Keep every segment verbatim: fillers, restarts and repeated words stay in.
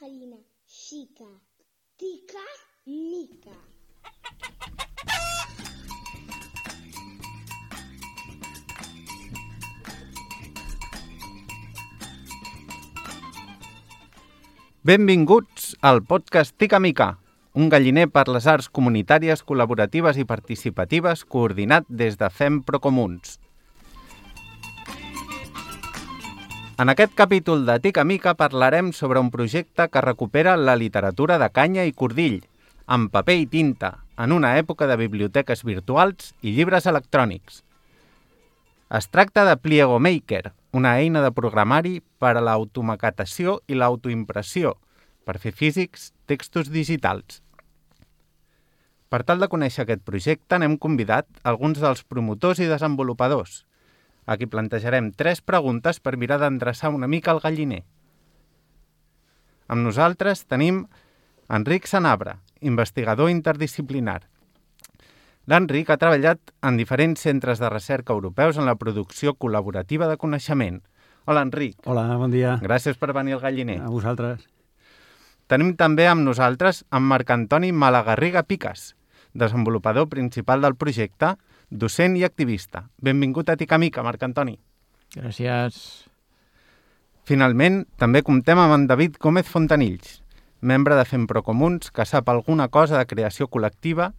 farina xica, tica, mica. Benvinguts al podcast Tica Mica, un galliner per les arts comunitàries, col·laboratives i participatives coordinat des de Fem Procomuns. En aquest capítol de Tica Mica parlarem sobre un projecte que recupera la literatura de canya i cordill, amb paper i tinta, en una època de biblioteques virtuals i llibres electrònics. Es tracta de Pliego Maker, una eina de programari per a l'automaquetació i l'autoimpressió, per fer físics textos digitals. Per tal de conèixer aquest projecte, n'hem convidat alguns dels promotors i desenvolupadors. Aquí plantejarem tres preguntes per mirar d'endreçar una mica el galliner. Amb nosaltres tenim Enric Sanabra, investigador interdisciplinar. L'Enric ha treballat en diferents centres de recerca europeus en la producció col·laborativa de coneixement. Hola, Enric. Hola, bon dia. Gràcies per venir al galliner. A vosaltres. Tenim també amb nosaltres en Marc Antoni Malagarriga Picas, desenvolupador principal del projecte, docent i activista. Benvingut a Tica Mica, Marc Antoni. Gràcies. Finalment, també comptem amb en David Gómez Fontanills, membre de Fem Procomuns, que sap alguna cosa de creació col·lectiva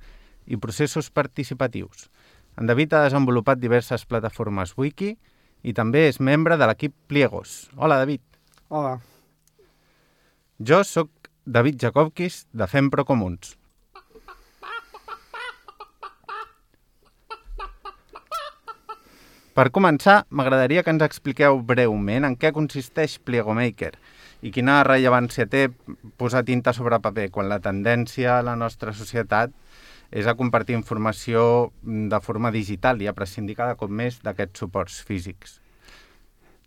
i processos participatius. En David ha desenvolupat diverses plataformes wiki i també és membre de l'equip Pliegos. Hola, David. Hola. Jo sóc David Jakobkis, de Fem Procomuns. Per començar, m'agradaria que ens expliqueu breument en què consisteix Pliego Maker i quina rellevància té posar tinta sobre paper quan la tendència a la nostra societat és a compartir informació de forma digital i a prescindir cada cop més d'aquests suports físics.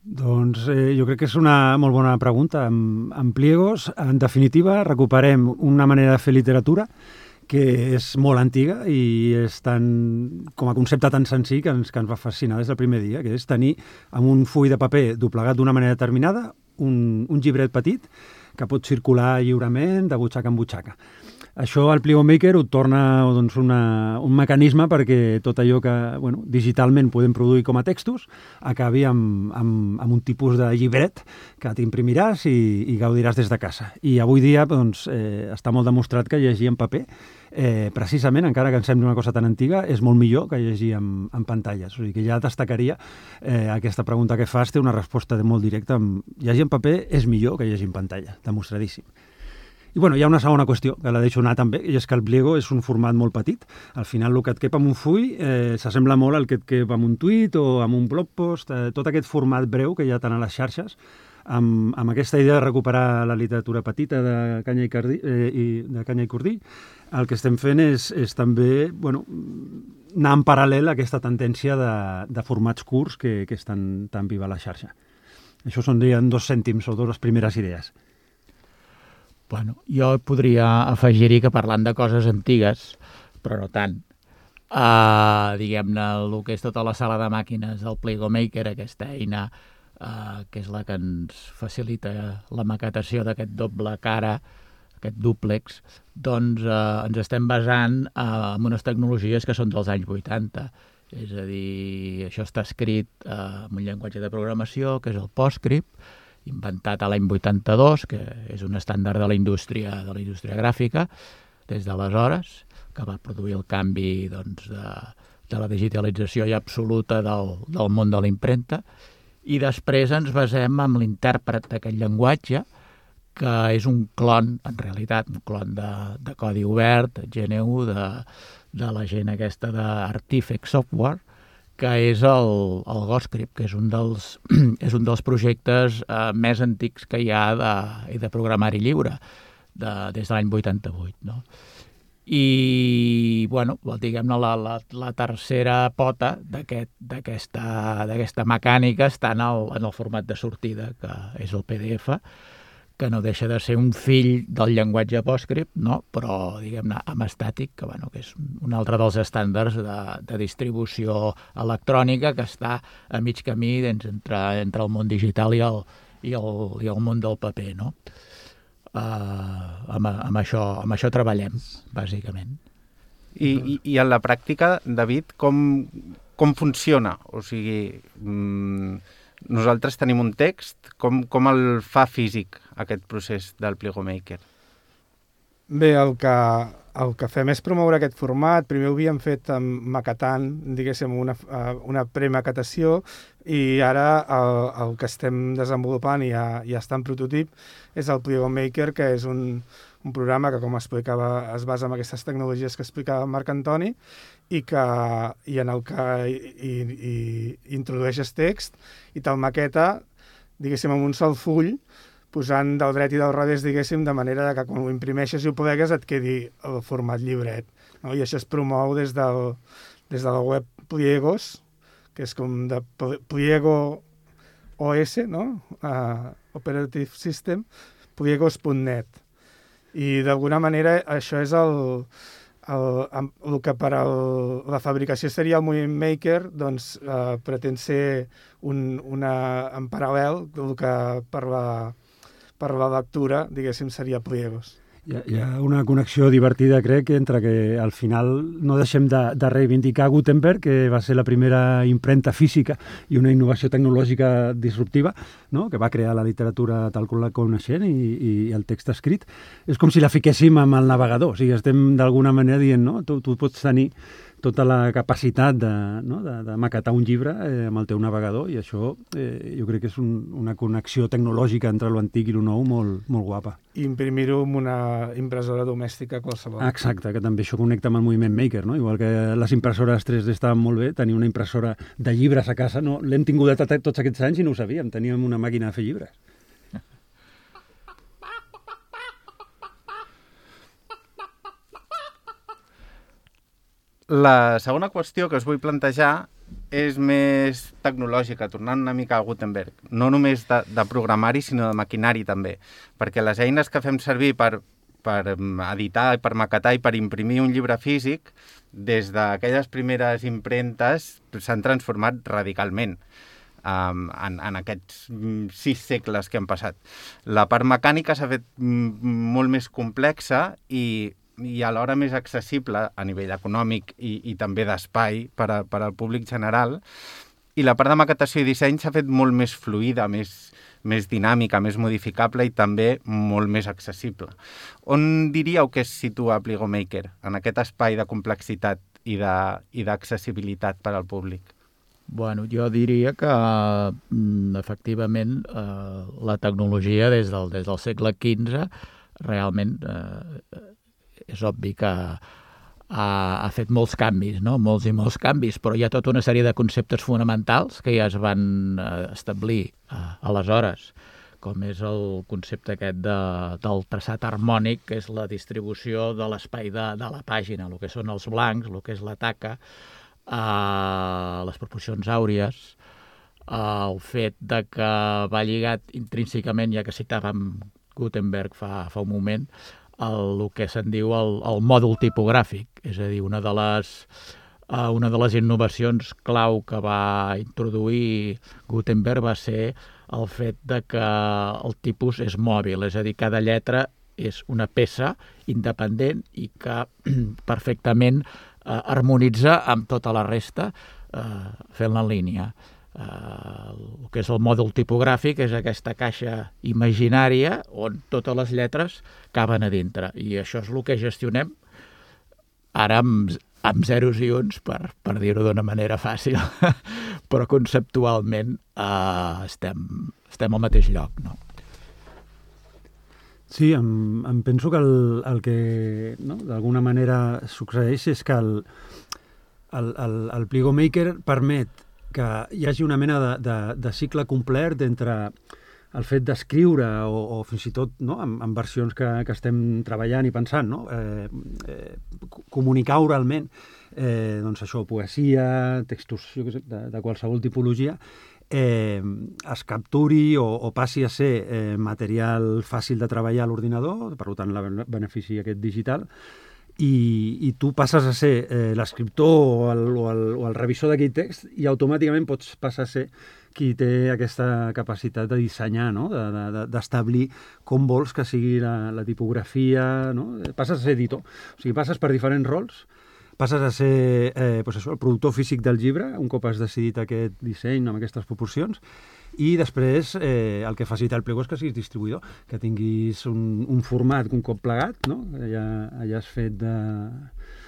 Doncs eh, jo crec que és una molt bona pregunta. En, en Pliegos, en definitiva, recuperem una manera de fer literatura que és molt antiga i és tan, com a concepte tan senzill que ens, que ens va fascinar des del primer dia, que és tenir amb un full de paper doblegat d'una manera determinada un, un llibret petit que pot circular lliurement de butxaca en butxaca. Això al Pliego Maker ho torna doncs, una, un mecanisme perquè tot allò que bueno, digitalment podem produir com a textos acabi amb, amb, amb un tipus de llibret que t'imprimiràs i, i gaudiràs des de casa. I avui dia doncs, eh, està molt demostrat que llegir en paper, eh, precisament, encara que ens sembli una cosa tan antiga, és molt millor que llegir en, en pantalles. O sigui que ja destacaria eh, aquesta pregunta que fas, té una resposta de molt directa. Llegir en paper és millor que llegir en pantalla, demostradíssim. I bueno, hi ha una segona qüestió, que la deixo anar també, i és que el Pliego és un format molt petit. Al final, el que et cap en un full eh, s'assembla molt al que et cap en un tuit o en un blog post, eh, tot aquest format breu que hi ha tant a les xarxes, amb, amb aquesta idea de recuperar la literatura petita de canya i, cardi, eh, i, de canya i cordill, el que estem fent és, és també bueno, anar en paral·lel a aquesta tendència de, de formats curts que, que estan tan viva a la xarxa. Això són dos cèntims o dues primeres idees. Bueno, jo podria afegir-hi que parlant de coses antigues, però no tant, uh, diguem-ne, el que és tota la sala de màquines del Pliego Maker, aquesta eina uh, que és la que ens facilita la maquetació d'aquest doble cara, aquest dúplex, doncs uh, ens estem basant uh, en unes tecnologies que són dels anys vuitanta. És a dir, això està escrit uh, en un llenguatge de programació, que és el PostScript, inventat a l'any vuitanta-dos, que és un estàndard de la indústria de la indústria gràfica, des d'aleshores, que va produir el canvi doncs, de, de la digitalització ja absoluta del, del món de la impremta, i després ens basem en l'intèrpret d'aquest llenguatge, que és un clon, en realitat, un clon de, de codi obert, G N U, de, de la gent aquesta d'Artifact Software, que és el, el GhostScript, que és un dels, és un dels projectes eh, més antics que hi ha de, de programari lliure, de, des de l'any vuitanta-vuit. No? I, bueno, diguem-ne, la, la, la tercera pota d'aquesta d'aquesta mecànica està en el, en el format de sortida, que és el P D F, que no deixa de ser un fill del llenguatge PostScript, no? Però, diguem-ne, amb estàtic, que, bueno, que és un altre dels estàndards de, de distribució electrònica que està a mig camí entre, entre el món digital i el, i el, i el món del paper, no? Uh, amb, amb, això, amb això treballem, bàsicament. I, i, i en la pràctica, David, com, com funciona? O sigui, mmm, nosaltres tenim un text, com, com el fa físic aquest procés del Plegomaker? Bé, el que, el que fem és promoure aquest format. Primer ho havíem fet maquetant, diguéssim, una, una premaquetació, i ara el, el que estem desenvolupant i ja, ja està en prototip és el Plegomaker, que és un, un programa que, com explicava, es basa en aquestes tecnologies que explicava Marc Antoni i, que, i en el que i, i, i introdueixes text i te'l maqueta, diguéssim, en un sol full, posant del dret i del revés, diguéssim, de manera que quan ho imprimeixes i ho plegues et quedi el format llibret. No? I això es promou des, del, des de la web Pliegos, que és com de Pliego O S, no? Uh, Operative System, pliegos punt net. I d'alguna manera això és el, el, el que per el, la fabricació seria el Movement Maker, doncs uh, pretén ser un, una, en paral·lel el que per la per la lectura, diguéssim, seria Pliegos. Hi ha, hi ha una connexió divertida, crec, entre que al final no deixem de, de reivindicar Gutenberg, que va ser la primera impremta física i una innovació tecnològica disruptiva, no? Que va crear la literatura tal com la coneixem i, i el text escrit. És com si la fiquéssim amb el navegador, o sigui, estem d'alguna manera dient, no? Tu, tu pots tenir tota la capacitat de, no? de, de maquetar un llibre eh, amb el teu navegador, i això eh, jo crec que és un, una connexió tecnològica entre l'antic i el nou molt, molt guapa. I imprimir-ho amb una impressora domèstica qualsevol. Exacte, que també això connecta amb el Movement Maker, no? Igual que les impressores tres D estaven molt bé, tenir una impressora de llibres a casa, no? L'hem tingut tots aquests anys i no ho sabíem, teníem una màquina de fer llibres. La segona qüestió que us vull plantejar és més tecnològica, tornant una mica a Gutenberg. No només de, de programari, sinó de maquinari també. Perquè les eines que fem servir per, per editar, per maquetar i per imprimir un llibre físic, des d'aquelles primeres impremtes s'han transformat radicalment um, en, en aquests sis segles que han passat. La part mecànica s'ha fet molt més complexa i i alhora més accessible a nivell econòmic i, i també d'espai per, a, per al públic general. I la part de maquetació i disseny s'ha fet molt més fluida, més, més dinàmica, més modificable i també molt més accessible. On diríeu que es situa Plegomaker en aquest espai de complexitat i d'accessibilitat per al públic? Bueno, jo diria que, efectivament, eh, la tecnologia des del, des del segle quinze realment eh, és obvi que ha, ha fet molts canvis, no? Molts i molts canvis, però hi ha tota una sèrie de conceptes fonamentals que ja es van establir eh, aleshores, com és el concepte aquest de, del traçat harmònic, que és la distribució de l'espai de, de la pàgina, el que són els blancs, el que és la taca, eh, les proporcions àuries, eh, el fet de que va lligat intrínsecament, ja que citàvem Gutenberg fa, fa un moment, el, el que se'n diu el, el mòdul tipogràfic, és a dir, una de les, uh, una de les innovacions clau que va introduir Gutenberg va ser el fet de que el tipus és mòbil, és a dir, cada lletra és una peça independent i que perfectament uh, harmonitza amb tota la resta uh, fent-la en línia. Uh, el que és el mòdul tipogràfic és aquesta caixa imaginària on totes les lletres caben a dintre, i això és el que gestionem ara amb, amb zeros i uns, per, per dir-ho d'una manera fàcil, però conceptualment uh, estem, estem al mateix lloc, no? Sí, em, em penso que el, el que no, d'alguna manera succeeix és que el, el, el, el Plegomaker permet que hi hagi una mena de, de, de cicle complet entre el fet d'escriure o, o fins i tot no, en, en versions que, que estem treballant i pensant, no? eh, eh, comunicar oralment eh, doncs això, poesia, textos jo què sé, de, de qualsevol tipologia, eh, es capturi o, o passi a ser eh, material fàcil de treballar a l'ordinador, per tant la benefici aquest digital, I, i tu passes a ser eh, l'escriptor o, el, o, el, o el revisor d'aquell text i automàticament pots passar a ser qui té aquesta capacitat de dissenyar, no? D'establir com vols que sigui la, la tipografia, no? Passes a ser editor, o sigui, passes per diferents rols, passes a ser eh, pues això, el productor físic del llibre, un cop has decidit aquest disseny amb aquestes proporcions, i després eh, el que facilita el Pliego és que siguis distribuïdor, que tinguis un, un format un cop plegat, no? Ja, ja has fet de...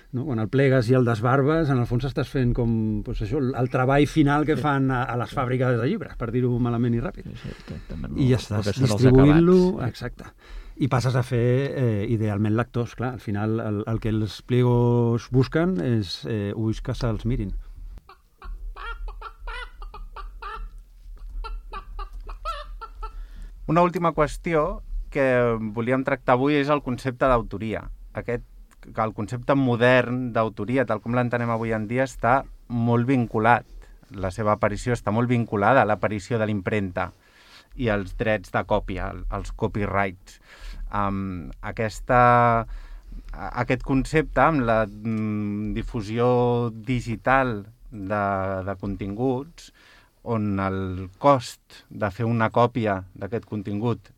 No? Quan el plegues i el desbarbes, en el fons estàs fent com pues això, el treball final que fan a, a les fàbriques de llibres, per dir-ho malament i ràpid. Sí, sí, I ja estàs distribuint-lo, exacte. I passes a fer, eh, idealment, lectors. Clar, al final el, el que els pliegos busquen és eh, ulls que se'ls mirin. Una última qüestió que volíem tractar avui és el concepte d'autoria. Aquest que el concepte modern d'autoria, tal com l'entenem avui en dia, està molt vinculat. La seva aparició està molt vinculada a l'aparició de l'impremta i els drets de còpia, els copyrights. Um, aquesta, aquest concepte, amb la mm, difusió digital de, de continguts, on el cost de fer una còpia d'aquest contingut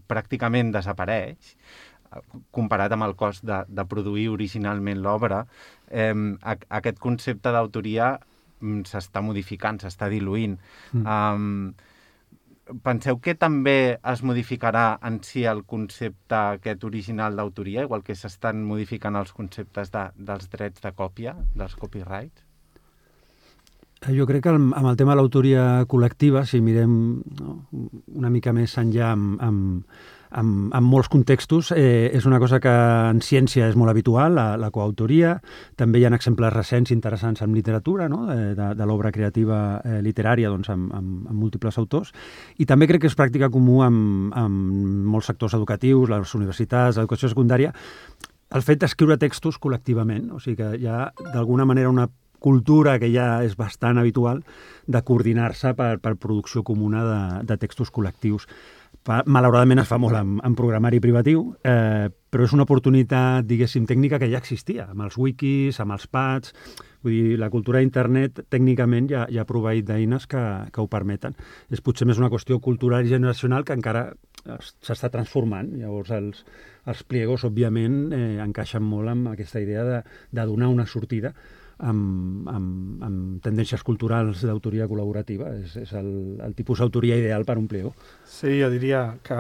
pràcticament desapareix, comparat amb el cost de, de produir originalment l'obra, eh, aquest concepte d'autoria s'està modificant, s'està diluint. Mm. Um, penseu que també es modificarà en si el concepte aquest original d'autoria, igual que s'estan modificant els conceptes de, dels drets de còpia, dels copyrights? Jo crec que amb el tema de l'autoria col·lectiva, si mirem no, una mica més enllà amb, amb, amb, amb molts contextos, eh, és una cosa que en ciència és molt habitual, la, la coautoria. També hi ha exemples recents interessants en literatura, no? de, de, de l'obra creativa eh, literària doncs, amb, amb, amb múltiples autors. I també crec que és pràctica comú amb, amb molts sectors educatius, les universitats, l'educació secundària, el fet d'escriure textos col·lectivament. O sigui que hi ha d'alguna manera una cultura que ja és bastant habitual de coordinar-se per, per producció comuna de, de textos col·lectius. Malauradament es fa molt en, en programari privatiu, eh, però és una oportunitat, diguéssim, tècnica que ja existia, amb els wikis, amb els pads. Vull dir, la cultura d'internet tècnicament ja, ja ha proveït d'eines que, que ho permeten. És potser més una qüestió cultural i generacional que encara s'està transformant. Llavors els, els pliegos, òbviament, eh, encaixen molt amb aquesta idea de, de donar una sortida Amb, amb, amb tendències culturals d'autoria col·laborativa. És, és el, el tipus d'autoria ideal per un pliego. Sí, jo diria que,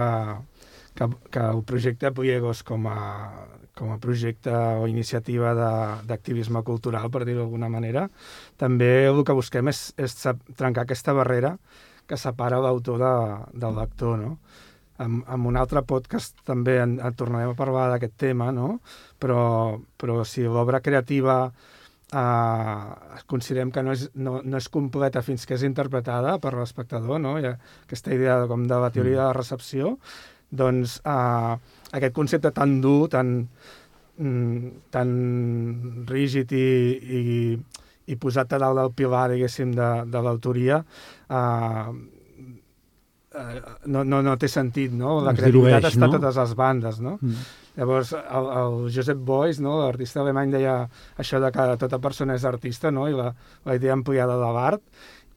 que, que el projecte Pliegos com a, com a projecte o iniciativa d'activisme cultural, per dir-ho d'alguna manera, també el que busquem és, és trencar aquesta barrera que separa l'autor de, del lector, no? En, en un altre podcast també en, en tornarem a parlar d'aquest tema, no? Però, però si l'obra creativa Uh, considerem que no és, no, no és completa fins que és interpretada per l'espectador, no? Hi ha aquesta idea de, com de la teoria de la recepció, doncs uh, aquest concepte tan dur, tan, mm, tan rígid i, i, i posat a dalt del pilar, diguéssim, de, de l'autoria, uh, uh, no, no, no té sentit, no? La creativitat dilueix, està no? a totes les bandes, no? Mm. Llavors, el, el Josep Beuys, no, l'artista alemany, deia això de que tota persona és artista, no? I la, la idea ampliada de l'art,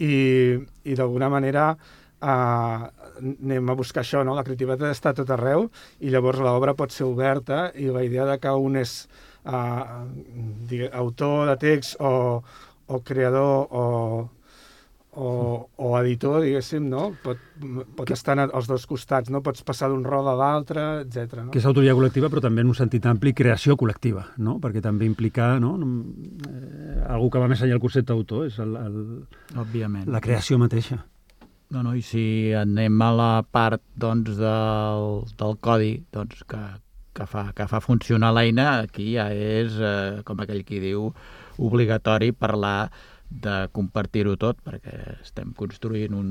i, i d'alguna manera eh, anem a buscar això, no? La creativitat està a tot arreu, i llavors l'obra pot ser oberta, i la idea de que un és eh, digue, autor de text o, o creador o... O, o editor, diguéssim, no? Pot, pot que... estar als dos costats, no? Pots passar d'un rol a l'altre, etcètera. No? Que és autoria col·lectiva, però també en un sentit ampli creació col·lectiva, no? Perquè també implica, no? Eh, algú que va més enllà del concepte d'autor, és el, el, òbviament, la creació mateixa. No, no, i si anem a la part, doncs, del, del codi, doncs, que, que, fa, que fa funcionar l'eina, aquí ja és, eh, com aquell qui diu, obligatori parlar de compartir-ho tot, perquè estem construint un,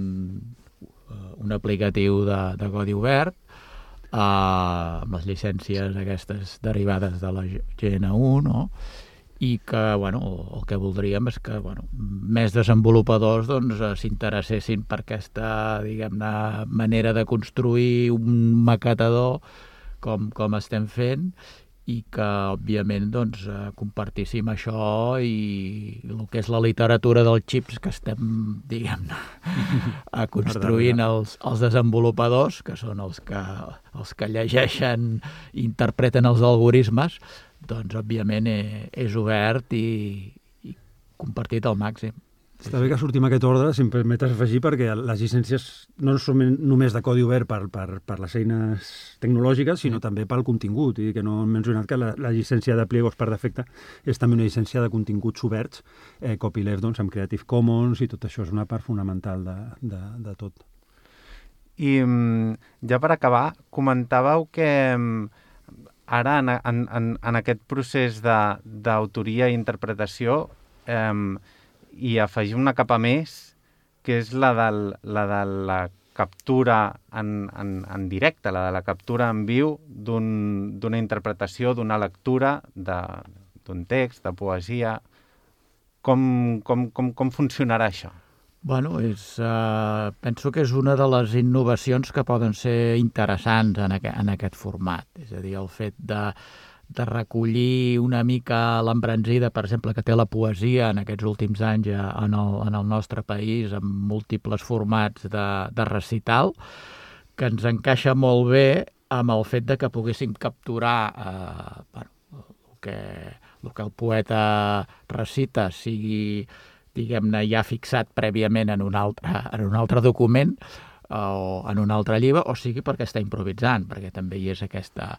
un aplicatiu de, de codi obert eh, amb les llicències aquestes derivades de la G N U, no? I que, bueno, el que voldríem és que, bueno, més desenvolupadors doncs, s'interessessin per aquesta, diguem-ne, manera de construir un maquetador com, com estem fent, i que, òbviament, doncs, eh, compartíssim això i el que és la literatura dels xips que estem, diguem-ne, a construint els, els desenvolupadors, que són els que, els que llegeixen i interpreten els algoritmes, doncs, òbviament, eh, és obert i, i compartit al màxim. Està bé que sortim aquest ordre, si em permetes afegir, perquè les llicències no són només de codi obert per, per, per les eines tecnològiques, sinó sí. també pel contingut, i que no hem mencionat que la, la llicència de pliegos per defecte és també una llicència de continguts oberts, eh, copyleft, doncs, amb Creative Commons, i tot això és una part fonamental de, de, de tot. I ja per acabar, comentàveu que ara en, en, en, en aquest procés d'autoria i interpretació eh, i afegir una capa més, que és la, del, la de la captura en, en, en directe, la de la captura en viu d'una un, interpretació, d'una lectura d'un text, de poesia. Com, com, com, com funcionarà això? Bueno, és, uh, penso que és una de les innovacions que poden ser interessants en, aqu en aquest format. És a dir, el fet de de recollir una mica l'embranzida, per exemple, que té la poesia en aquests últims anys en el, en el nostre país, amb múltiples formats de, de recital, que ens encaixa molt bé amb el fet de que poguéssim capturar eh, bueno, el, que, el que el poeta recita sigui, diguem-ne, ja fixat prèviament en un altre, en un altre document eh, o en un altre llibre, o sigui perquè està improvisant, perquè també hi és aquesta...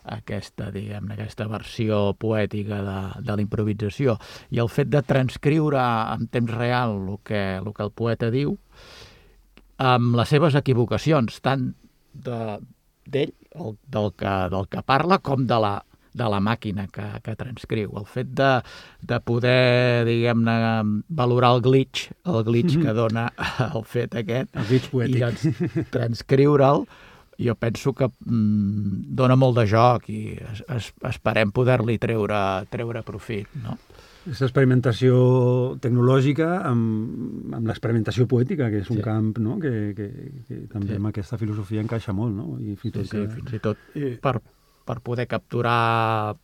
aquesta, diguem-ne, aquesta versió poètica de, de la improvisació. I el fet de transcriure en temps real el que, el que el poeta diu, amb les seves equivocacions, tant d'ell, de, del, que, del que parla, com de la, de la màquina que, que transcriu. El fet de, de poder, diguem-ne, valorar el glitch, el glitch que dona el fet aquest, el glitch poètic. I doncs transcriure'l, jo penso que mm, dona molt de joc i es, es, esperem poder-li treure, treure profit, no? Aquesta experimentació tecnològica amb, amb l'experimentació poètica, que és un sí. camp, no? que, que, que també sí. amb aquesta filosofia encaixa molt, no? I fins, sí, tot sí, que... fins i tot per, per poder capturar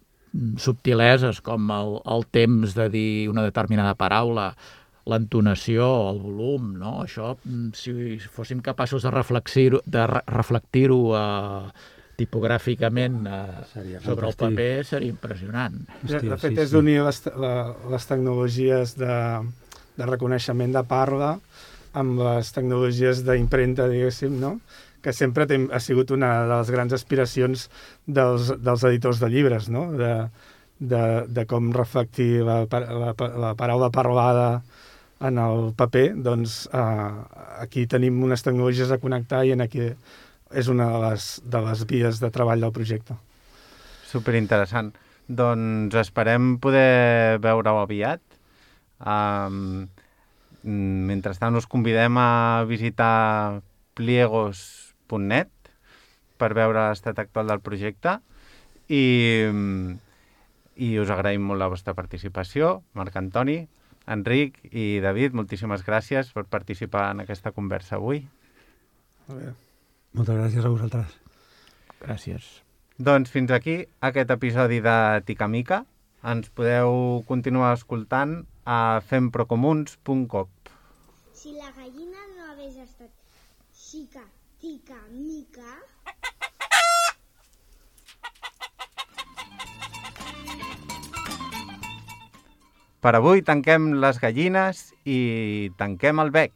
subtileses com el, el temps de dir una determinada paraula, l'entonació, el volum, no? Això, si fóssim capaços de reflexir-ho, de re reflectir-ho eh, tipogràficament eh, sobre el paper, seria impressionant. Hòstia, de fet, sí, és d'unir sí. les, la, les tecnologies de, de reconeixement de parla amb les tecnologies d'impremta, diguéssim, no? Que sempre tem, ha sigut una de les grans aspiracions dels, dels editors de llibres, no? De, de, de com reflectir la, la, la paraula parlada en el paper, doncs eh, aquí tenim unes tecnologies a connectar i en aquí és una de les, de les vies de treball del projecte. Superinteressant. Doncs esperem poder veure-ho aviat. Um, mentrestant us convidem a visitar pliegos punt net per veure l'estat actual del projecte i, i us agraïm molt la vostra participació. Marc Antoni, Enric i David, moltíssimes gràcies per participar en aquesta conversa avui. Molt bé. Moltes gràcies a vosaltres. Gràcies. Doncs fins aquí aquest episodi de Tica Mica. Ens podeu continuar escoltant a femprocomuns punt com. Si la gallina no hagués estat xica, tica, mica... Per avui tanquem les gallines i tanquem el bec.